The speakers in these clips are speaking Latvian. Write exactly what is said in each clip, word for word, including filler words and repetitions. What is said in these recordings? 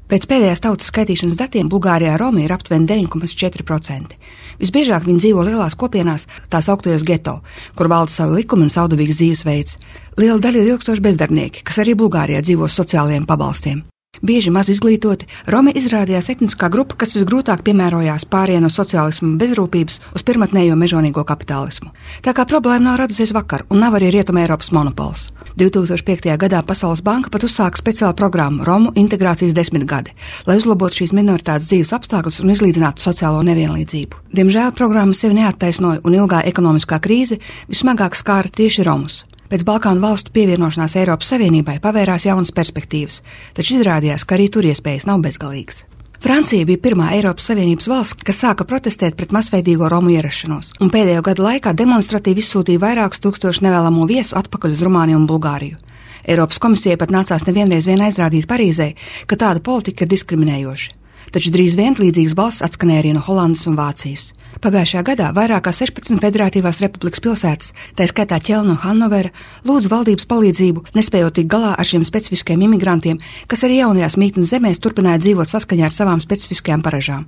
Pēc pēdējās tautas skaitīšanas datiem Bulgārijā romi ir aptuveni deviņi komats četri procenti. Visbiežāk viņi dzīvo lielās kopienās, tās augtajos geto, kur valda savu likumu un saudabīgs dzīvesveids. Liela daļa ir ilgstoši bezdarbnieki, kas arī Bulgārijā dzīvo uz sociālajiem pabalstiem. Bieži maz izglītoti, romi izrādījās etniskā grupa, kas visgrūtāk piemērojās pārējai no sociālisma un bezrūpības uz pirmatnējo mežonīgo kapitālismu. Tā kā problēma nav radusies vakar un nav arī Rietuma Eiropas monopols. divi tūkstoši piektajā gadā Pasaules banka pat uzsāka speciālu programmu Romu integrācijas desmitgade, lai uzlabotu šīs minoritātes dzīves apstākļus un izlīdzinātu sociālo nevienlīdzību. Diemžēl programma sevi neattaisnoja un ilgā ekonomiskā krīze vismagāk skāra tieši romus. Pēc Balkānu valstu pievienošanās Eiropas Savienībai pavērās jaunas perspektīvas, taču izrādījās, ka arī tur iespējas nav bezgalīgas. Francija bija pirmā Eiropas Savienības valsts, kas sāka protestēt pret masveidīgo romu ierašanos, un pēdējo gadu laikā demonstratīvi izsūtīja vairākus tūkstošu nevēlamo viesu atpakaļ uz Rumāniju un Bulgāriju. Eiropas komisijai pat nācās nevienreiz vien aizrādīt Parīzē, ka tāda politika ir diskriminējoša. Taču drīz vien līdzīgas balss atskanēja arī no Holandas un Vācijas. Pagājušajā gadā vairāk kā sešpadsmit federatīvās republikas pilsētas, tā skaitā Ķelna un Hannovera, lūdzu valdības palīdzību, nespējot tikt galā ar šiem specifiskiem imigrantiem, kas arī jaunajās mītnes zemēs turpināja dzīvot saskaņā ar savām specifiskajām paražām.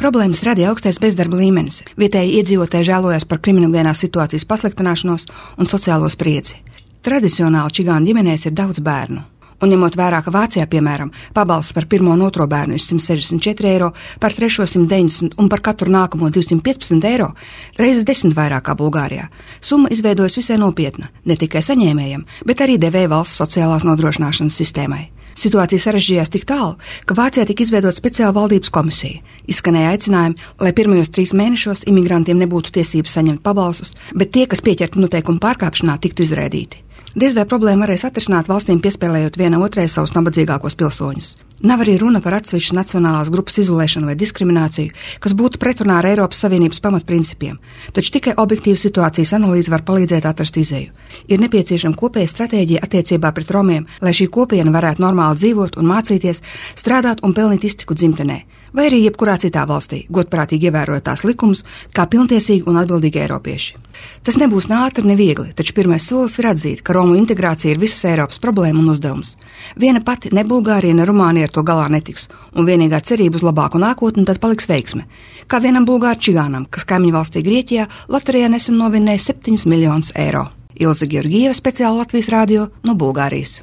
Problēmas radīja augstais bezdarba līmenis, vietēji iedzīvotāji žēlojās par kriminogēnās situācijas pasliktināšanos un sociālo spriedzi. Tradicionāli čigānu ģimenēs ir daudz bērnu. Un ņemot vērā, ka Vācijā, piemēram, pabalsts par pirmo un otro bērnu ir simt sešdesmit četri eiro, par trešo simt deviņdesmit un par katru nākamo divsimt piecpadsmit eiro, reizes desmit vairāk kā Bulgārijā. Summa izveidojas visai nopietna, ne tikai saņēmējiem, bet arī devēja valsts sociālās nodrošināšanas sistēmai. Situācija sarežģījās tik tālu, ka Vācijā tika izveidota speciāla valdības komisija. Izskanēja aicinājumi, lai pirmajos trīs mēnešos imigrantiem nebūtu tiesības saņemt pabalstus, bet tie, kas pieķerti noteikumu pārkāpšanā, tiktu izraidīti. Diez vai problēma varēs atrisināt valstīm piespēlējot viena otrai savus nabadzīgākos pilsoņus. Nav arī runa par atsevišķu nacionālās grupas izolēšanu vai diskrimināciju, kas būtu pretrunā ar Eiropas Savienības pamatprincipiem, taču tikai objektīva situācijas analīze var palīdzēt atrast izēju. Ir nepieciešama kopēja stratēģija attiecībā pret romiem, lai šī kopiena varētu normāli dzīvot un mācīties, strādāt un pelnīt iztiku dzimtenē, vai arī jebkurā citā valstī, godprātīgi ievērojot tās likumus, kā pilntiesīgi un atbildīgi eiropieši. Tas nebūs ne ātri, ne viegli, taču pirmais solis ir atzīt, ka romu integrācija ir visas Eiropas problēma un uzdevums. Viena pati ne Bulgārija, ne Rumānija ar to galā netiks, un vienīgā cerība uz labāku nākotni tad paliks veiksme. Kā vienam bulgāru čigānam, kas kaimiņu valstī Grieķijā loterijā nesen novinēja septiņus miljonus eiro. Ilze Georgieva, speciāli Latvijas radio no Bulgārijas.